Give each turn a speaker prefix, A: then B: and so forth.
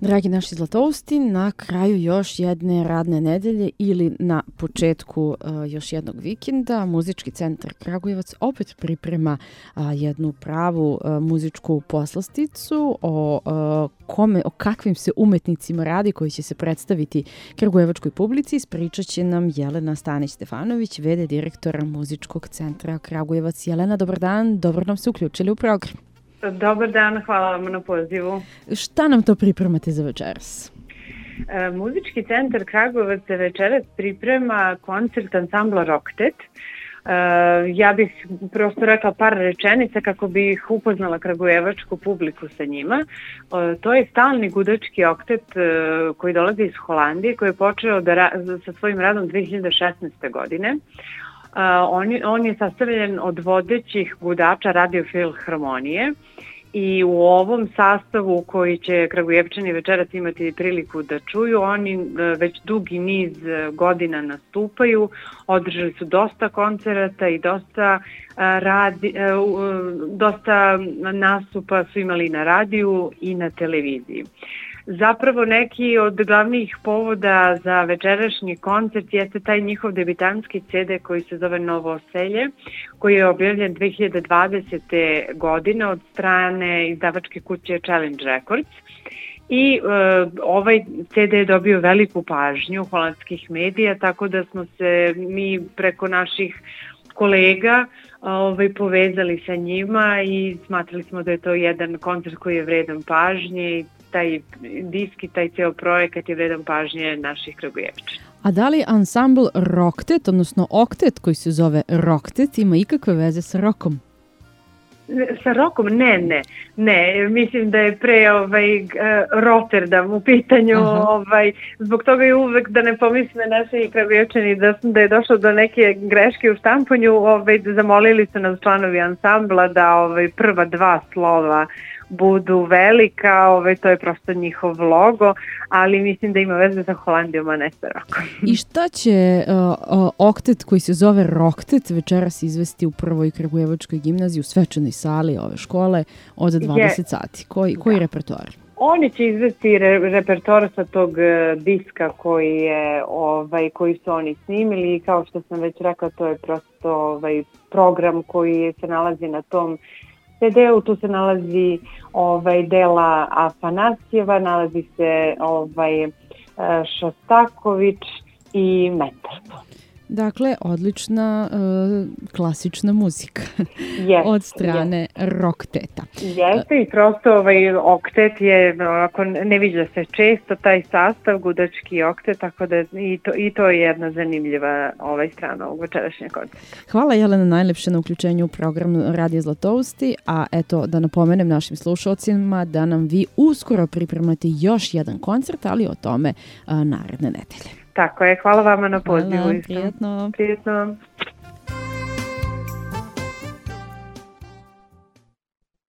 A: Dragi naši Zlatousti, na kraju još jedne radne nedelje ili na početku još jednog vikenda Muzički centar Kragujevac opet priprema jednu pravu muzičku poslasticu o kakvim se umetnicima radi koji će se predstaviti kragujevačkoj publici. Ispričat će nam Jelena Stanić-Stefanović, v.d. direktora Muzičkog centra Kragujevac. Jelena, dobar dan, dobro nam se uključili u program.
B: Dobar dan, hvala vam na pozivu.
A: Šta nam to pripremate za večeras?
B: Muzički centar Kragujevac večeras priprema koncert ansambla Roktet. Ja bih prosto rekla par rečenica kako bih upoznala kragujevačku publiku sa njima. To je stalni gudački oktet koji dolazi iz Holandije, koji je počeo sa svojim radom 2016. godine. On je sastavljen od vodećih gudača Radio-Filharmonije i u ovom sastavu koji će Kragujevčani večeras imati priliku da čuju, oni već dugi niz godina nastupaju, održali su dosta koncerata i dosta nastupa su imali na radiju i na televiziji. Zapravo neki od glavnih povoda za večerašnji koncert jeste taj njihov debitanski CD koji se zove Novoselje, koji je objavljen 2020. godine od strane izdavačke kuće Challenge Records. I ovaj CD je dobio veliku pažnju holandskih medija, tako da smo se mi preko naših kolega povezali sa njima i smatrali smo da je to jedan koncert koji je vredan pažnje i taj disk i taj ceo projekat je vredan pažnje naših Kragujevčana.
A: A da li ansambl Roktet, odnosno oktet koji se zove Roktet, ima ikakve veze sa rokom?
B: Sa rokom? Ne. Mislim da je pre Rotterdam u pitanju. Zbog toga je uvek da ne pomisle naši Kragujevčani da je došlo do neke greške u štampanju. Zamolili su nas članovi ansambla da prva dva slova budu velika, to je prosto njihov logo, ali mislim da ima veze sa Holandijom, a ne sa rokom.
A: I šta će oktet koji se zove Roktet večeras izvesti u prvoj Kragujevačkoj gimnaziji u svečanoj sali ove škole od 20 sati? Koji repertoar?
B: Oni će izvesti repertoar sa tog diska koji su oni snimili i kao što sam već rekla, to je prosto program koji se nalazi na tom CD-u. Tu se nalazi dela Afanasijeva, nalazi se Šostaković i Metelko.
A: Dakle, odlična klasična muzika od strane Rokteta.
B: Jeste i prosto oktet je, ako ne viđa se često taj sastav, gudački oktet, tako da i to je jedna zanimljiva strana ovog večerašnjeg koncerta.
A: Hvala Jelena najlepše na uključenju u program Radija Zlatousti, a eto da napomenem našim slušalcima da nam vi uskoro pripremate još jedan koncert, ali o tome naredne nedelje.
B: Tako je, hvala vama na pozivu.
A: Hvala, prijetno.